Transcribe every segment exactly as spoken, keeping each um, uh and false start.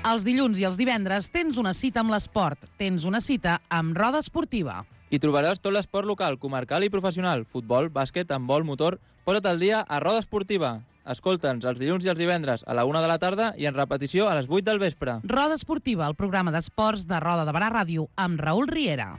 Els dilluns i els divendres tens una cita amb l'esport. Tens una cita amb Roda Esportiva. Hi trobaràs tot l'esport local, comarcal i professional. Futbol, bàsquet, handbol, motor... Posa't al dia a Roda Esportiva. Escolta'ns els dilluns i els divendres a la una de la tarda i en repetició a les vuit del vespre. Roda Esportiva, el programa d'esports de Roda de Barà Ràdio, amb Raül Riera.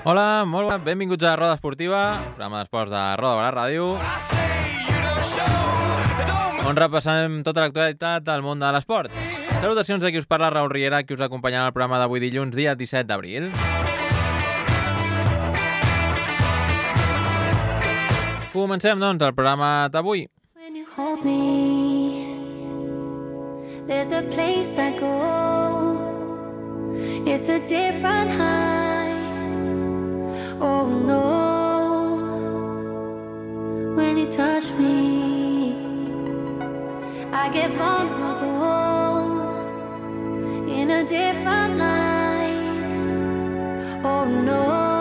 Hola, molt bona, benvinguts a Roda Esportiva, programa d'esports de Roda de Barà Ràdio, on repassem tota l'actualitat del món de l'esport. Salutacions de qui us parla, Raül Riera, qui us acompanyarà al programa d'avui dilluns, dia disset d'abril. Comencem, doncs, el programa d'avui. When you hold me, there's a place I go. It's a different high. Oh no, when you touch me, I get vulnerable in a different light. Oh no.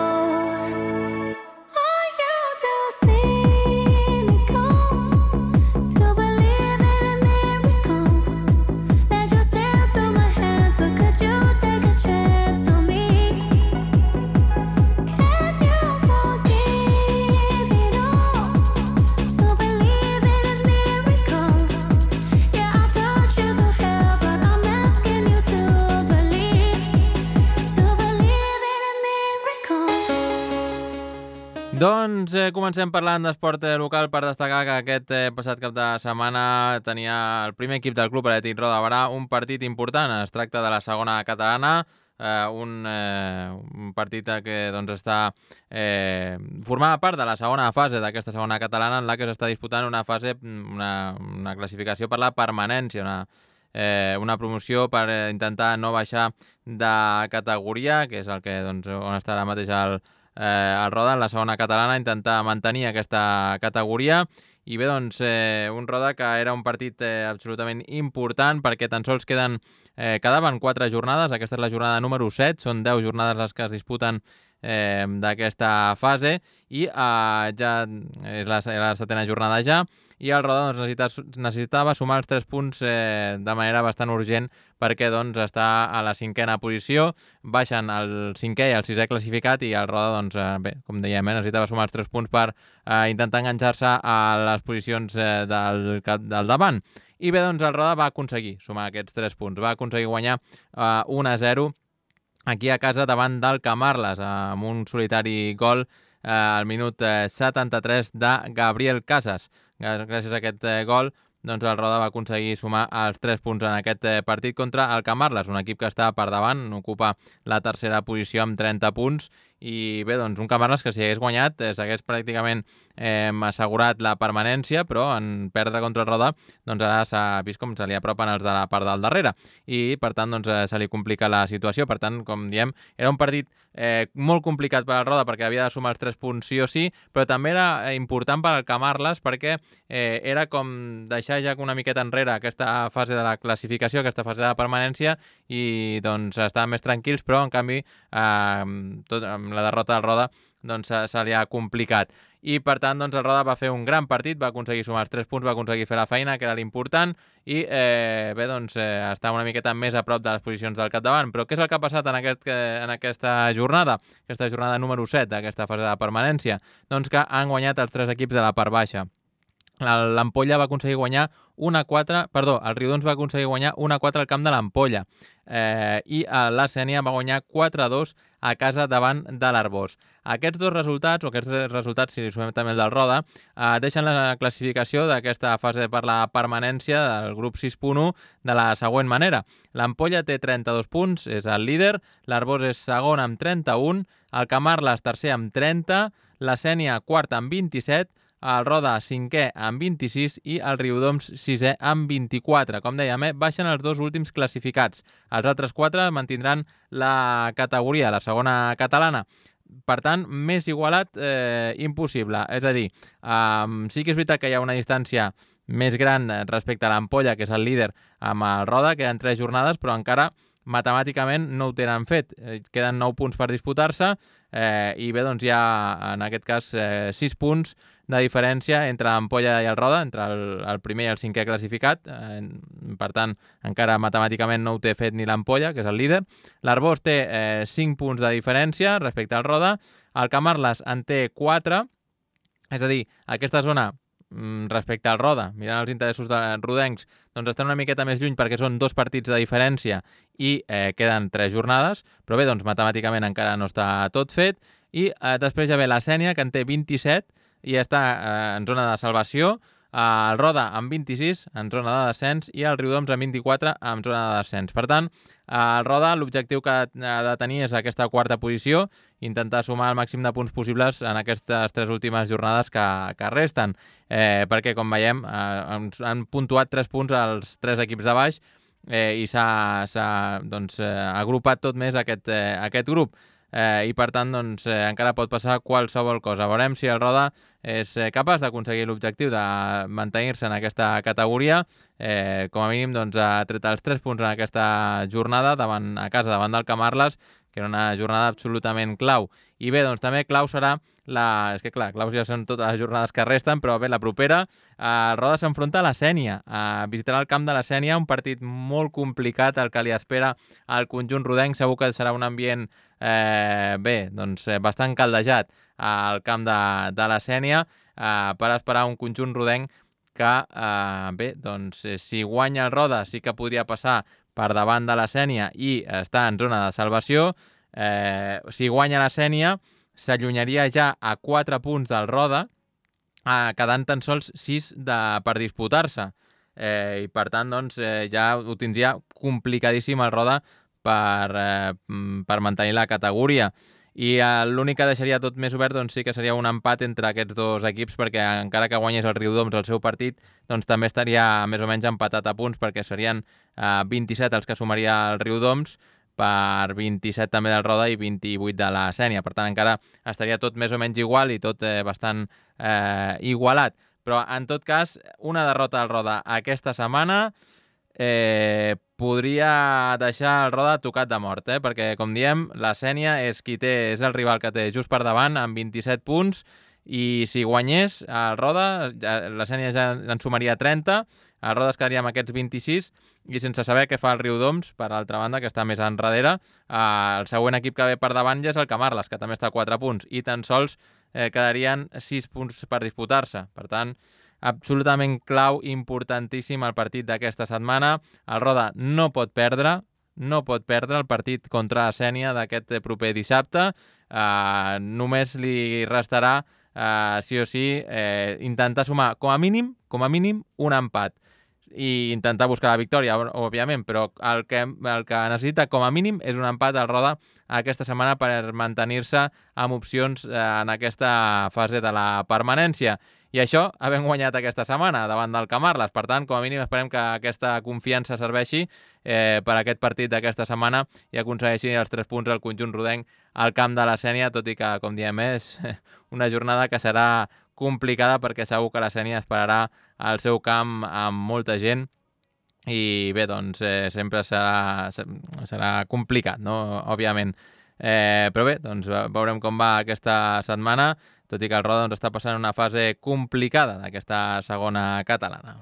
Doncs eh, comencem parlant d'esport eh, local per destacar que aquest eh, passat cap de setmana tenia el primer equip del Club Atlètic Roda de Barà un partit important. Es tracta de la segona catalana, eh, un, eh, un partit que doncs, està eh, formava part de la segona fase d'aquesta segona catalana en la que s'està disputant una fase, una, una classificació per la permanència, una, eh, una promoció per eh, intentar no baixar de categoria, que és el que doncs, on està ara mateix el Eh, el Roda en la segona catalana, intentar mantenir aquesta categoria. I bé, doncs, eh, un Roda que era un partit eh, absolutament important perquè tan sols queden, eh, quedaven quatre jornades. Aquesta és la jornada número set, són deu jornades les que es disputen eh, d'aquesta fase i eh, ja és la, la setena jornada ja, i el Roda doncs, necessita, necessitava sumar els tres punts eh, de manera bastant urgent perquè doncs, està a la cinquena posició, baixen el cinquè i el sisè classificat i el Roda, doncs, eh, bé, com dèiem, eh, necessitava sumar els tres punts per eh, intentar enganxar-se a les posicions eh, del, del davant. I bé, doncs el Roda va aconseguir sumar aquests tres punts, va aconseguir guanyar eh, un a zero aquí a casa davant del Camarles, amb un solitari gol eh, al minut eh, setanta-tres de Gabriel Casas. Gràcies a aquest eh, gol, doncs el Roda va aconseguir sumar els tres punts en aquest eh, partit contra el Camarles, un equip que està per davant, ocupa la tercera posició amb trenta punts, i bé, doncs un Camarles que si hagués guanyat eh, s'hagués pràcticament eh, assegurat la permanència, però en perdre contra el Roda, doncs ara s'ha vist com se li apropen els de la part del darrere, i per tant doncs, eh, se li complica la situació. Per tant, com diem, era un partit eh, molt complicat per al Roda perquè havia de sumar els tres punts sí o sí, però també era important per al Camarles perquè eh, era com deixar ja una miqueta enrere aquesta fase de la classificació, aquesta fase de la permanència, i doncs estaven més tranquils, però en canvi eh, tot, amb la derrota del Roda doncs, se, se li ha complicat. I per tant doncs, el Roda va fer un gran partit, va aconseguir sumar els tres punts, va aconseguir fer la feina, que era l'important, i eh, bé, doncs, eh, està una miqueta més a prop de les posicions del capdavant. Però què és el que ha passat en, aquest, en aquesta jornada, aquesta jornada número set d'aquesta fase de permanència? Doncs que han guanyat els tres equips de la part baixa. L'Ampolla va aconseguir guanyar un a quatre, perdó, el Riudons va aconseguir guanyar un a quatre al camp de l'Ampolla, eh, i la Sénia va guanyar quatre a dos a casa davant de l'Arbós. Aquests dos resultats, o aquests resultats, si li sumem també el del Roda, eh, deixen la classificació d'aquesta fase per la permanència del grup sis punt u de la següent manera. L'Ampolla té trenta-dos punts, és el líder, l'Arbós és segon amb trenta-un, el Camarles tercer amb trenta, la Sénia quart amb vint-i-set, el Roda cinquè amb vint-i-sis i el Riudoms sisè amb vint-i-quatre. Com dèiem, eh, baixen els dos últims classificats. Els altres quatre mantindran la categoria, la segona catalana. Per tant, més igualat eh, impossible. És a dir, eh, sí que és veritat que hi ha una distància més gran respecte a l'Ampolla, que és el líder amb el Roda, queden tres jornades, però encara matemàticament no ho tenen fet. Eh, queden nou punts per disputar-se eh, i bé, doncs hi ha en aquest cas eh, sis punts de diferència entre l'Ampolla i el Roda, entre el, el primer i el cinquè classificat. Eh, per tant, encara matemàticament no ho té fet ni l'Ampolla, que és el líder. L'Arbós té eh, cinc punts de diferència respecte al Roda. El Camarles en té quatre. És a dir, aquesta zona respecte al Roda, mirant els interessos de rodencs, doncs estan una miqueta més lluny perquè són dos partits de diferència i eh, queden tres jornades, però bé, doncs matemàticament encara no està tot fet. I eh, després ja ve la Sénia, que en té vint-i-set i està eh, en zona de salvació, eh, el Roda amb vint-i-sis en zona de descens i el Riudoms amb vint-i-quatre en zona de descens. Per tant, el Roda l'objectiu que ha de tenir és aquesta quarta posició, intentar sumar el màxim de punts possibles en aquestes tres últimes jornades que, que resten, eh, perquè com veiem eh, han puntuat tres punts als tres equips de baix eh, i s'ha doncs, eh, agrupat tot més aquest, eh, aquest grup. Eh, I per tant doncs, eh, encara pot passar qualsevol cosa. Veurem si el Roda és eh, capaç d'aconseguir l'objectiu de mantenir-se en aquesta categoria. Eh, com a mínim doncs, ha tret els tres punts en aquesta jornada davant, a casa davant del Camarles, que era una jornada absolutament clau. I bé, doncs també clau serà la... És que clar, claus ja són totes les jornades que resten, però bé, la propera, eh, el Roda s'enfronta a la Sénia. Eh, visitarà el camp de la Sénia, un partit molt complicat, el que li espera al conjunt rodenc. Segur que serà un ambient eh, bé, doncs, eh, bastant caldejat al camp de, de la Sénia eh, per esperar un conjunt rodenc que, eh, bé, doncs, eh, si guanya el Roda sí que podria passar per davant de la Sénia i està en zona de salvació. Eh, si guanya la Sénia, s'allunyaria ja a quatre punts del Roda, eh, quedant tan sols sis de, per disputar-se. Eh, I per tant, doncs, eh, ja ho tindria complicadíssim el Roda per, eh, per mantenir la categoria. I eh, l'únic que deixaria tot més obert doncs, sí que seria un empat entre aquests dos equips, perquè encara que guanyés el Riudoms el seu partit, doncs també estaria més o menys empatat a punts, perquè serien eh, vint-i-set els que sumaria el Riudoms, per vint-i-set també del Roda i vint-i-vuit de la Sénia. Per tant, encara estaria tot més o menys igual i tot eh, bastant eh, igualat. Però, en tot cas, una derrota al Roda aquesta setmana eh, podria deixar el Roda tocat de mort, eh? Perquè, com diem, la Sénia és qui té, és el rival que té just per davant, amb vint-i-set punts, i si guanyés el Roda, la Sénia ja en sumaria trenta, el Roda es quedaria amb aquests vint-i-sis, i sense saber què fa el Riudoms, per altra banda, que està més enrere. Eh, el següent equip que ve per davant ja és el Camarles, que també està a quatre punts, i tan sols eh, quedarien sis punts per disputar-se. Per tant, absolutament clau, importantíssim el partit d'aquesta setmana. El Roda no pot perdre, no pot perdre el partit contra la Sénia d'aquest proper dissabte. Eh, només li restarà, eh, sí o sí, eh, intentar sumar, com a mínim, com a mínim, un empat. I intentar buscar la victòria, òbviament, però el que, el que necessita com a mínim és un empat al Roda aquesta setmana per mantenir-se amb opcions eh, en aquesta fase de la permanència. I això havent guanyat aquesta setmana davant del Camarles. Per tant, com a mínim esperem que aquesta confiança serveixi eh, per aquest partit d'aquesta setmana i aconsegueixi els tres punts al conjunt rodenc al camp de la Sénia, tot i que, com diem, és una jornada que serà complicada perquè segur que la Sénia esperarà al seu camp amb molta gent i bé, doncs eh, sempre serà, serà complicat, no? Òbviament. Eh, però bé, doncs veurem com va aquesta setmana, tot i que el Roda doncs, està passant una fase complicada d'aquesta segona catalana.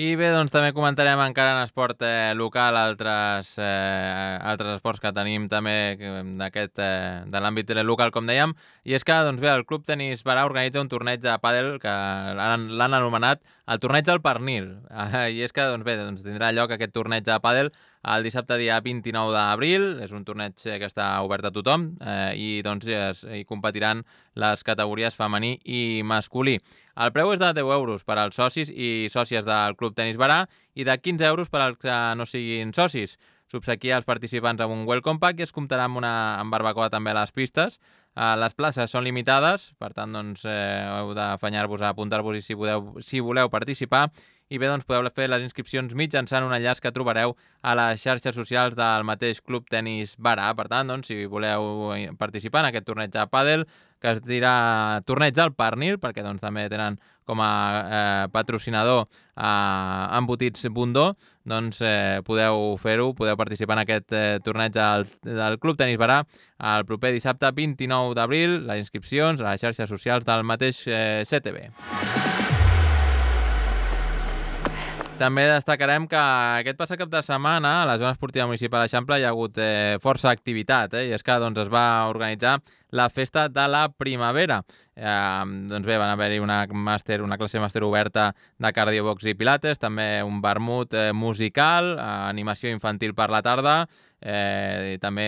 I bé, doncs també comentarem encara en esport eh, local altres, eh, altres esports que tenim també d'aquest eh, de l'àmbit local, com dèiem, i és que doncs bé, el Club Tenis Barà organitza un torneig de pàdel que l'han anomenat el torneig del pernil. Eh, I és que doncs bé, doncs tindrà lloc aquest torneig de pàdel el dissabte dia vint-i-nou d'abril. És un torneig que està obert a tothom eh, i doncs es, hi competiran les categories femení i masculí. El preu és de deu euros per als socis i sòcies del Club Tenis Barà i de quinze euros per als que no siguin socis. S'obsequia als participants amb un welcome pack i es comptarà amb una amb barbacoa també a les pistes. Uh, les places són limitades, per tant doncs, eh, heu d'afanyar-vos a apuntar-vos i si, podeu, si voleu participar. I bé, doncs podeu fer les inscripcions mitjançant un enllaç que trobareu a les xarxes socials del mateix Club Tenis Barà. Per tant, doncs, si voleu participar en aquest torneig de pàdel, que es dirà Torneig del Pernil, perquè doncs, també tenen com a eh, patrocinador eh, Embotits Bundó, doncs eh, podeu fer-ho, podeu participar en aquest eh, torneig del, del Club Tenis Barà el proper dissabte vint-i-nou d'abril. Les inscripcions a les xarxes socials del mateix eh, C T B. També destacarem que aquest passat cap de setmana a la zona esportiva municipal d'Eixample hi ha hagut eh, força activitat, eh? I és que doncs, es va organitzar la festa de la primavera. Eh, doncs bé, van haver-hi una, màster, una classe màster oberta de cardiobox i pilates, també un vermut eh, musical, eh, animació infantil per la tarda, eh, i també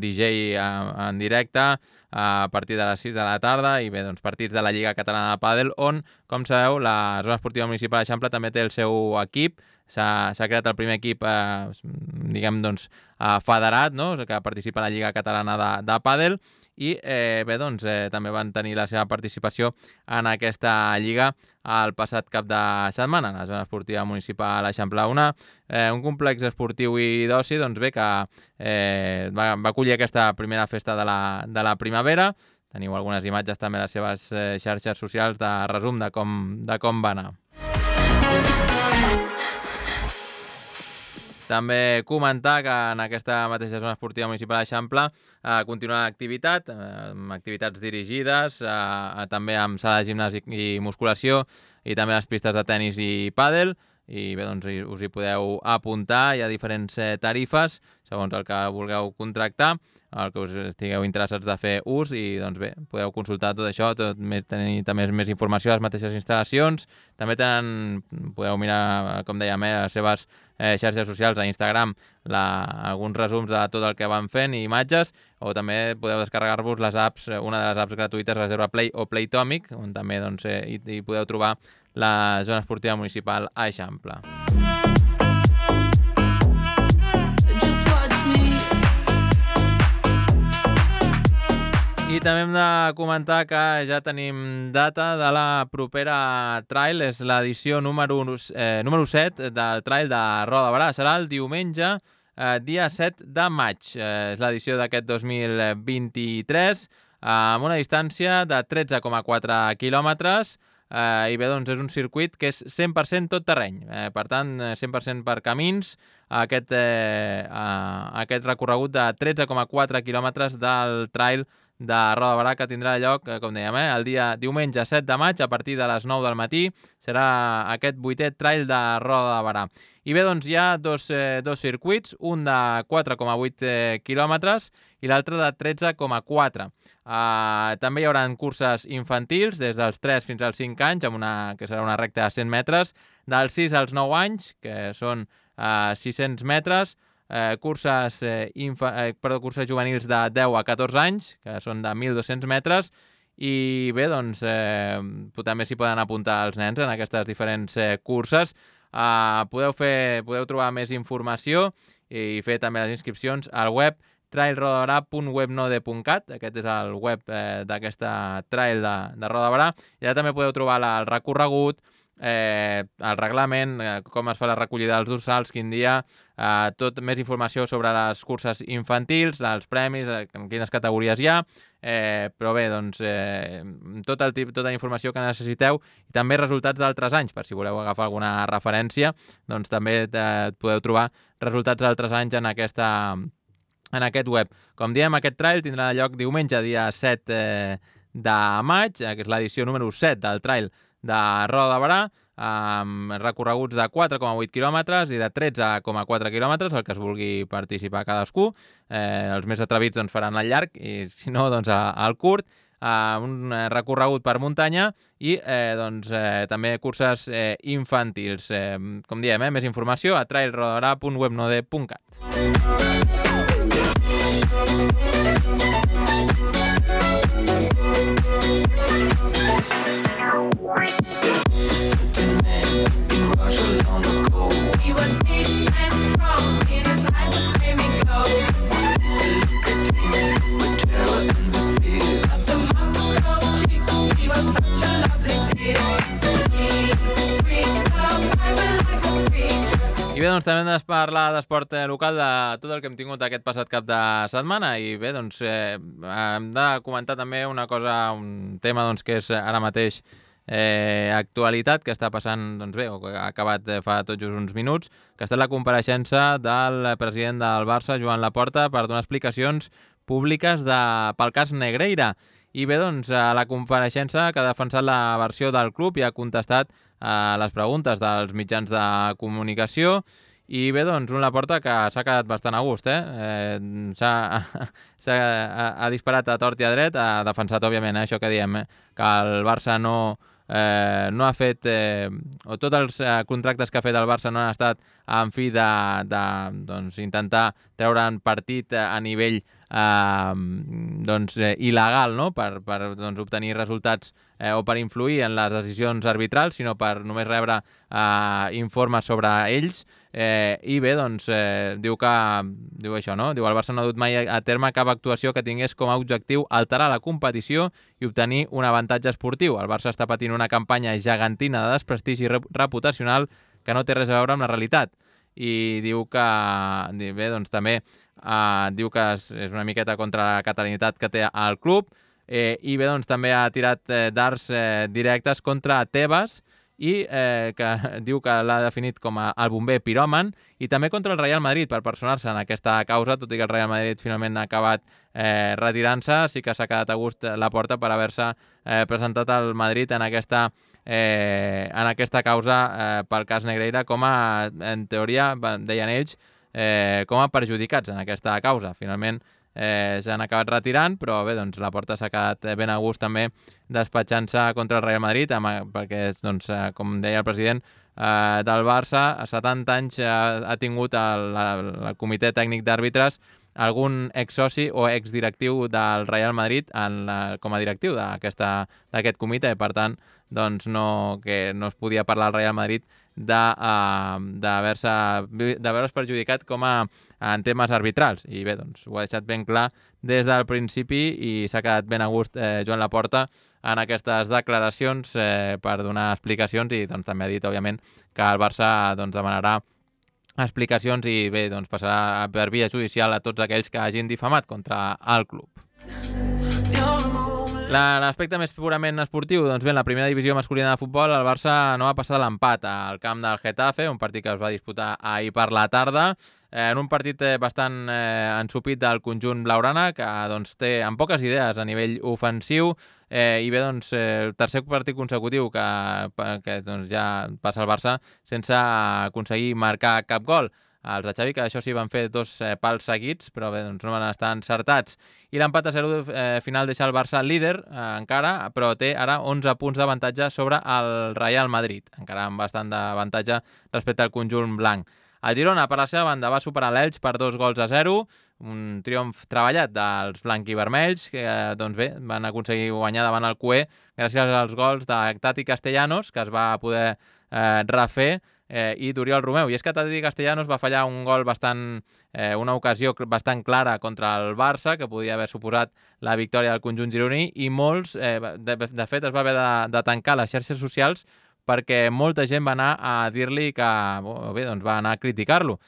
D J en, en directe a partir de les sis de la tarda i bé, doncs partits de la Lliga Catalana de Pàdel, on, com sabeu, la zona esportiva municipal d'Eixample també té el seu equip. S'ha creat el primer equip eh, diguem, doncs, eh, federat, no? Que participa a la Lliga Catalana de, de Pàdel i eh, bé, doncs, eh, també van tenir la seva participació en aquesta lliga el passat cap de setmana a la zona esportiva municipal d'Eixample. Una, eh, un complex esportiu i d'oci doncs, bé, que eh, va, va acollir aquesta primera festa de la, de la primavera. Teniu algunes imatges també a les seves eh, xarxes socials de resum de com, de com va anar. També comentar que en aquesta mateixa zona esportiva municipal d'Eixample eh, continua l'activitat, eh, amb activitats dirigides, eh, també amb sala de gimnàs i, i musculació, i també les pistes de tennis i pàdel, i bé, doncs us hi podeu apuntar. Hi ha diferents eh, tarifes, segons el que vulgueu contractar, el que us estigueu interessats de fer ús, i doncs bé, podeu consultar tot això, tot, més, tenir també més informació a les mateixes instal·lacions. També tenen, podeu mirar, com dèiem, eh, les seves eh, xarxes socials a Instagram, la, alguns resums de tot el que van fent i imatges, o també podeu descarregar-vos les apps, una de les apps gratuïtes, Reserva Play o Playtomic, on també doncs, eh, hi, hi podeu trobar la zona esportiva municipal a Eixample. I també hem de comentar que ja tenim data de la propera trail, és l'edició número, eh, número set del trail de Roda de Barà. Serà el diumenge, eh, dia set de maig. Eh, és l'edició d'aquest dos mil vint-i-tres, eh, amb una distància de tretze coma quatre quilòmetres, eh, i bé, doncs és un circuit que és cent per cent tot terreny. Eh, per tant, cent per cent per camins, aquest, eh, eh, aquest recorregut de tretze coma quatre quilòmetres del trail de Roda de Barà, que tindrà lloc, com dèiem, eh, el dia diumenge set de maig a partir de les nou del matí. Serà aquest vuitè trail de Roda de Barà. I bé, doncs hi ha dos, eh, dos circuits, un de quatre coma vuit eh, quilòmetres i l'altre de tretze coma quatre. Uh, també hi haurà curses infantils des dels tres fins als cinc anys, amb una, que serà una recta de cent metres, dels sis als nou anys, que són uh, sis-cents metres, Eh, curses, eh, infa, eh, perdó, curses juvenils de deu a catorze anys, que són de mil dos-cents metres, i bé, doncs eh, també s'hi poden apuntar els nens en aquestes diferents eh, curses. Eh, podeu, fer, podeu trobar més informació i fer també les inscripcions al web trail roda de barà punt webnode punt cat. Aquest és el web eh, d'aquesta trail de, de Roda de Barà. I allà també podeu trobar la, el recorregut, Eh, el reglament, eh, com es fa la recollida dels dorsals, quin dia, eh, tot més informació sobre les curses infantils, els premis, eh, en quines categories hi ha, eh, però bé, doncs eh, tot el tip, tota la informació que necessiteu, i també resultats d'altres anys, per si voleu agafar alguna referència, doncs també eh, podeu trobar resultats d'altres anys en aquesta en aquest web. Com diem, aquest trail tindrà lloc diumenge, dia set eh, de maig, que és l'edició número set del trail de Roda de Barà. amb recorreguts de quatre coma vuit quilòmetres i de tretze coma quatre quilòmetres, el que es vulgui participar cadascú. Eh, els més atrevits doncs, faran el llarg i, si no, doncs, el curt. Uh, un recorregut per muntanya i eh, doncs, eh, també curses eh, infantils. Eh, com diem, eh, més informació a trail rodarà punt webnode punt cat. I bé, doncs també hem de parlar d'esport local, de tot el que hem tingut aquest passat cap de setmana i bé, doncs eh, hem de comentar també una cosa, un tema doncs, que és ara mateix eh, actualitat, que està passant, doncs bé, o que ha acabat fa tot just uns minuts, que ha estat la compareixença del president del Barça, Joan Laporta, per donar explicacions públiques de, pel cas Negreira. I bé, doncs, a la compareixença que ha defensat la versió del club i ha contestat a les preguntes dels mitjans de comunicació i bé, doncs, un Laporta que s'ha quedat bastant a gust, eh? eh s'ha, ha, ha disparat a tort i a dret, ha defensat, òbviament, eh, això que diem, eh, que el Barça no, eh, no ha fet, eh, o tots els eh, contractes que ha fet el Barça no han estat en fi de, de doncs, intentar treure'n partit a nivell eh, doncs, eh, il·legal, no? per, per doncs, obtenir resultats eh, o per influir en les decisions arbitrals, sinó per només rebre eh, informes sobre ells. Eh, I bé, doncs, eh, diu que diu això, no? Diu el Barça no ha dut mai a terme cap actuació que tingués com a objectiu alterar la competició i obtenir un avantatge esportiu. El Barça està patint una campanya gegantina de desprestigi reputacional que no té res a veure amb la realitat. I diu que, bé, doncs també eh, diu que és, és una miqueta contra la catalanitat que té el club eh, i bé, doncs també ha tirat eh, dards eh, directes contra Tebas i eh, que diu que l'ha definit com a el bomber piròman i també contra el Real Madrid per personar-se en aquesta causa, tot i que el Real Madrid finalment ha acabat eh, retirant-se, sí que s'ha quedat a gust Laporta per haver-se eh, presentat al Madrid en aquesta Eh, en aquesta causa eh, pel cas Negreira com a, en teoria, deien ells, eh, com a perjudicats en aquesta causa. Finalment eh, s'han acabat retirant, però bé, doncs Laporta s'ha quedat ben a gust també despatxant-se contra el Real Madrid, amb, perquè, doncs, eh, com deia el president eh, del Barça, a setanta anys eh, ha tingut el, el, el comitè tècnic d'àrbitres algun exsoci o exdirectiu del Real Madrid en la, com a directiu d'aquest comitè, per tant, doncs no, que no es podia parlar al Real Madrid d'haver-se uh, perjudicat com a en temes arbitrals. I bé, doncs ho ha deixat ben clar des del principi i s'ha quedat ben a gust eh, Joan Laporta en aquestes declaracions eh, per donar explicacions i doncs també ha dit, òbviament, que el Barça doncs, demanarà explicacions i bé, doncs passarà per via judicial a tots aquells que hagin difamat contra el club. L'aspecte més purament esportiu, doncs bé, en la primera divisió masculina de futbol el Barça no va passar de l'empat al camp del Getafe, un partit que es va disputar ahir per la tarda, eh, en un partit bastant eh, ensupit del conjunt blaugrana, que doncs, té amb poques idees a nivell ofensiu, eh, i bé, doncs, eh, el tercer partit consecutiu que, que doncs, ja passa el Barça sense aconseguir marcar cap gol. Els de Xavi, que això sí van fer dos eh, pals seguits, però bé, doncs no van estar encertats. I l'empat a zero eh, final deixa el Barça líder eh, encara, però té ara onze punts d'avantatge sobre el Real Madrid, encara amb bastant d'avantatge respecte al conjunt blanc. El Girona, per la seva banda, va superar l'Elx per dos gols a zero, un triomf treballat dels blanquivermells, que eh, doncs bé, van aconseguir guanyar davant el Cué gràcies als gols de Tati Castellanos, que es va poder eh, refer, Eh, i d'Oriol Romeu. I és que Tati Castellanos va fallar un gol bastant, eh, una ocasió bastant clara contra el Barça, que podia haver suposat la victòria del conjunt gironí, i molts, eh, de, de fet, es va haver de, de tancar les xarxes socials perquè molta gent va anar a dir-li que, bé, doncs va anar a criticar-lo.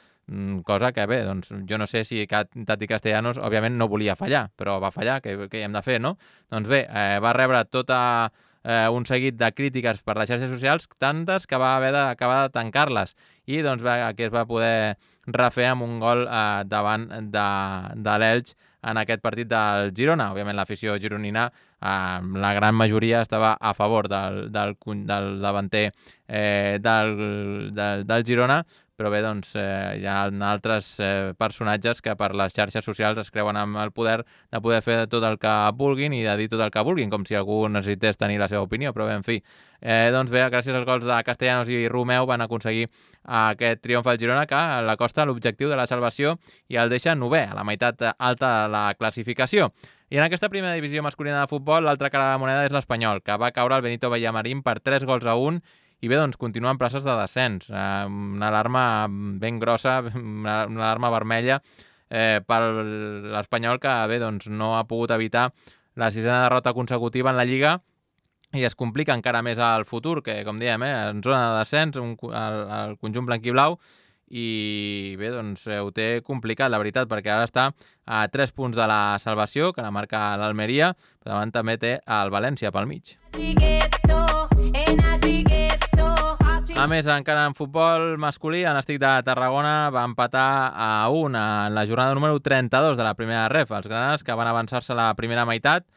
Cosa que, bé, doncs jo no sé si Tati Castellanos, òbviament, no volia fallar, però va fallar, què, què hi hem de fer, no? Doncs bé, eh, va rebre tota Eh, un seguit de crítiques per les xarxes socials, tantes que va haver d'acabar de tancar-les. I doncs va, aquí es va poder refer amb un gol eh, davant de, de l'Elx en aquest partit del Girona. Òbviament l'afició gironina, eh, la gran majoria estava a favor del, del, del davanter eh, del, del, del Girona, però bé, doncs, eh, hi ha altres eh, personatges que per les xarxes socials es creuen amb el poder de poder fer tot el que vulguin i de dir tot el que vulguin, com si algú necessités tenir la seva opinió, però bé, en fi. Eh, doncs bé, gràcies als gols de Castellanos i Romeu van aconseguir aquest triomf al Girona que l'acosta a l'objectiu de la salvació i el deixa novè, a la meitat alta de la classificació. I en aquesta primera divisió masculina de futbol, l'altra cara de la moneda és l'Espanyol, que va caure al Benito Villamarín per tres gols a un. I bé, doncs, continua en places de descens. Eh, una alarma ben grossa, una, una alarma vermella eh, per l'Espanyol que, bé, doncs, no ha pogut evitar la sisena derrota consecutiva en la Lliga i es complica encara més al futur, que, com diem, eh, en zona de descens, un, el, el conjunt blanquiblau, i bé, doncs, eh, ho té complicat, la veritat, perquè ara està a tres punts de la salvació, que la marca l'Almeria, però davant també té el València pel mig. A més, encara en futbol masculí, el Nàstic de Tarragona va empatar a un en la jornada número trenta-dos de la primera ref. Els granates que van avançar-se a la primera meitat,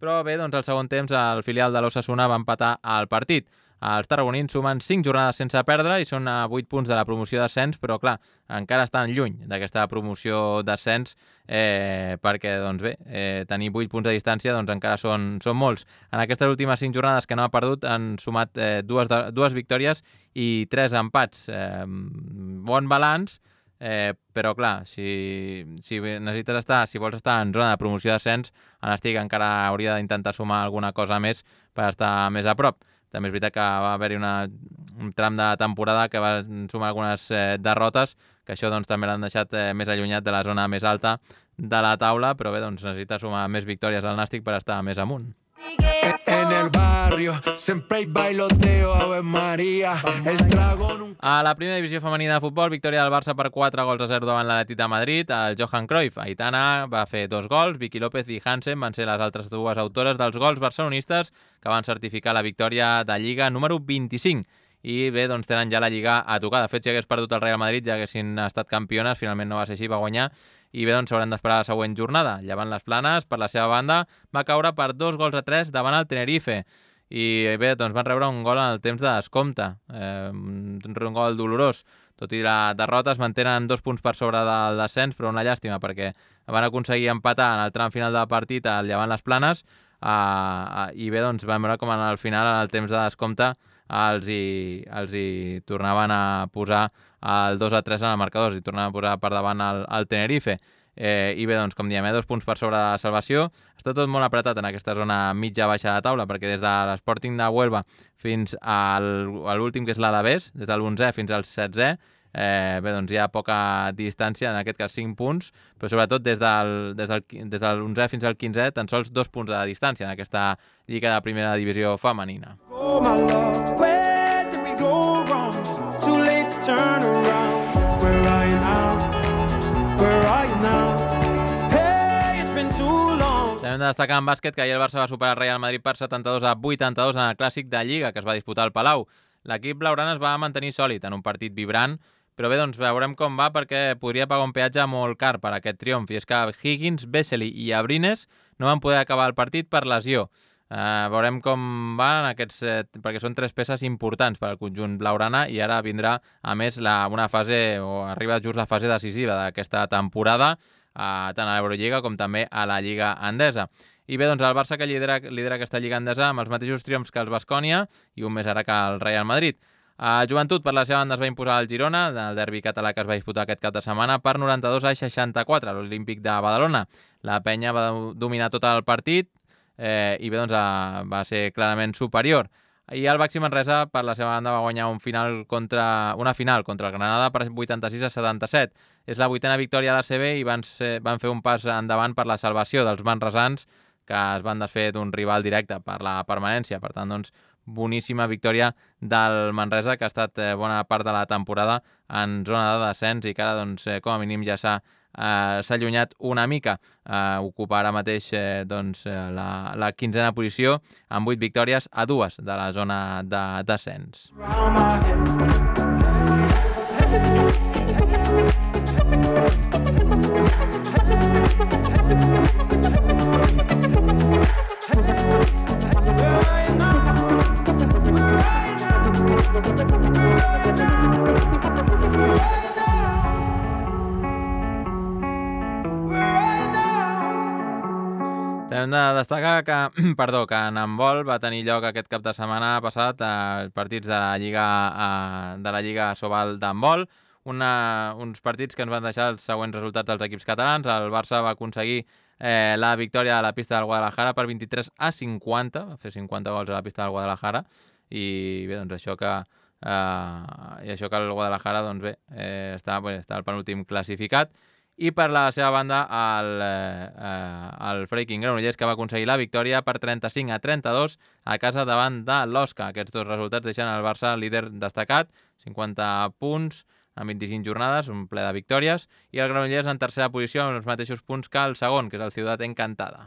però bé, doncs al segon temps el filial de l'Osasuna va empatar al partit. Els tarragonins sumen cinc jornades sense perdre i són a vuit punts de la promoció d'ascens, però clar, encara estan lluny d'aquesta promoció d'ascens eh, perquè, doncs bé, eh, tenir vuit punts de distància doncs encara són, són molts. En aquestes últimes cinc jornades que no ha perdut han sumat eh, dues, de, dues victòries i tres empats. Eh, bon balanç, eh, però clar, si, si necessites estar, si vols estar en zona de promoció d'ascens, en estic encara hauria d'intentar sumar alguna cosa més per estar més a prop. També és veritat que va haver-hi un tram de temporada que va sumar algunes eh, derrotes, que això doncs, també l'han deixat eh, més allunyat de la zona més alta de la taula, però bé, doncs, necessita sumar més victòries al Nàstic per estar més amunt. En el barrio siempre hay bailoteo, Ave María, el dragón. A la primera divisió femenina de futbol, victòria del Barça per quatre gols a zero davant l'Atlètic de Madrid. El Johan Cruyff, Aitana, va fer dos gols, Vicky López i Hansen van ser les altres dues autores dels gols barcelonistes que van certificar la victòria de Lliga número vint-i-cinc. I bé, doncs tenen ja la Lliga a tocar. De fet, si hagués perdut el Real Madrid, ja haguessin estat campiones, finalment no va ser així, va guanyar. I bé, doncs s'hauran d'esperar la següent jornada. Llevant les Planes, per la seva banda, va caure per dos gols a tres davant el Tenerife. I bé, doncs van rebre un gol en el temps de descompte, eh, un gol dolorós. Tot i la derrota es mantenen dos punts per sobre del descens, però una llàstima perquè van aconseguir empatar en el tram final del partit al Llevant les Planes eh, i bé, doncs vam veure com en el final, en el temps de descompte, els hi, els hi tornaven a posar el dos a tres en el marcador, i tornaven a posar per davant el, el Tenerife. Eh, I bé, doncs, com diem, eh, dos punts per sobre de la salvació. Està tot molt apretat en aquesta zona mitja-baixa de taula, perquè des de l'Sporting de Huelva fins al, a l'últim, que és l'Alavés, des de l'onzè fins al setzè, eh, bé, doncs hi ha poca distància, en aquest cas cinc punts, però sobretot des del, des del, des de l'onzè fins al quinzè, tan sols dos punts de distància en aquesta lliga de primera divisió femenina. Oh my love, where did we go wrong? Too late to turn around. Where are you now? Where are you now? Hey, it's been too long. També hem de destacar en bàsquet que ahir el Barça va superar el Real Madrid per setanta-dos a vuitanta-dos en el clàssic de Lliga que es va disputar al Palau. L'equip blaugrana es va mantenir sòlid en un partit vibrant, però bé, doncs veurem com va perquè podria pagar un peatge molt car per aquest triomf. I és que Higgins, Vesely i Abrines no van poder acabar el partit per lesió. Uh, veurem com van aquests, eh, perquè són tres peces importants per al conjunt blaugrana i ara vindrà, a més, la, una fase, o arriba just la fase decisiva d'aquesta temporada, uh, tant a l'Eurolliga com també a la Lliga Endesa. I bé, doncs el Barça que lidera, lidera aquesta Lliga Endesa amb els mateixos triomfs que els Baskonia i un més ara que el Real Madrid. Uh, Joventut, per la seva banda, es va imposar al Girona, el derbi català que es va disputar aquest cap de setmana, per noranta-dos a seixanta-quatre, a l'Olímpic de Badalona. La penya va dominar tot el partit, Eh, i bé, doncs uh, va ser clarament superior. I el Baxi Manresa, per la seva banda, va guanyar un final contra, una final contra el Granada per vuitanta-sis a setanta-set. És la vuitena victòria a l'A C B i van, ser, van fer un pas endavant per la salvació dels manresans, que es van desfer d'un rival directe per la permanència. Per tant, doncs, boníssima victòria del Manresa, que ha estat eh, bona part de la temporada en zona de descens i que ara, doncs, eh, com a mínim ja s'ha Uh, s'ha allunyat una mica, uh, ocupa ara mateix eh, doncs, la, la quinzena posició amb vuit victòries a dues de la zona de descens. Hem de destacar que, perdó, que en handbol va tenir lloc aquest cap de setmana passat els partits de la Lliga, de la Lliga Sobal d'handbol, Una, uns partits que ens van deixar els següents resultats dels equips catalans. El Barça va aconseguir eh, la victòria a la pista del Guadalajara per vint-i-tres a cinquanta, va fer cinquanta gols a la pista del Guadalajara, i bé, doncs això que, eh, i això que el Guadalajara doncs bé, eh, està, bé, està el penúltim classificat. I per la seva banda el, eh, el Freaking Granollers, que va aconseguir la victòria per trenta-cinc a trenta-dos a casa davant de l'Osca. Aquests dos resultats deixen el Barça líder destacat, cinquanta punts en vint-i-cinc jornades, un ple de victòries, i el Granollers en tercera posició amb els mateixos punts que el segon, que és el Ciutat Encantada.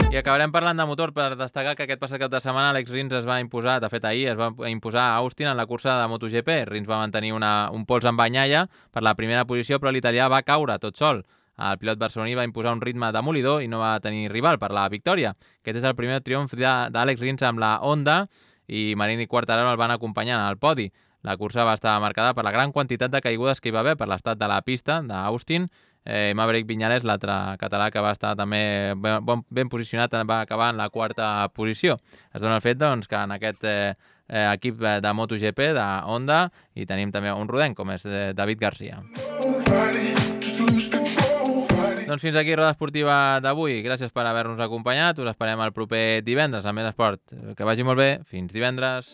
I acabarem parlant de motor per destacar que aquest passat cap de setmana Alex Rins es va imposar, de fet ahir es va imposar a Austin en la cursa de MotoGP. Rins va mantenir una, un pols amb Bagnaia per la primera posició, però l'italià va caure tot sol. El pilot barceloní va imposar un ritme demolidor i no va tenir rival per la victòria. Aquest és el primer triomf d'Àlex Rins amb la Honda, i Marini i Quartararo el van acompanyant al podi. La cursa va estar marcada per la gran quantitat de caigudes que hi va haver per l'estat de la pista d'Austin. Eh, Maverick Viñales, l'altre català que va estar també ben, ben posicionat, va acabar en la quarta posició. Es dona el fet doncs, que en aquest eh, equip de MotoGP, de Honda, hi tenim també un rodenc, com és David Garcia. Doncs fins aquí Roda Esportiva d'avui. Gràcies per haver-nos acompanyat. Us esperem el proper divendres amb Més Esport. Que vagi molt bé. Fins divendres.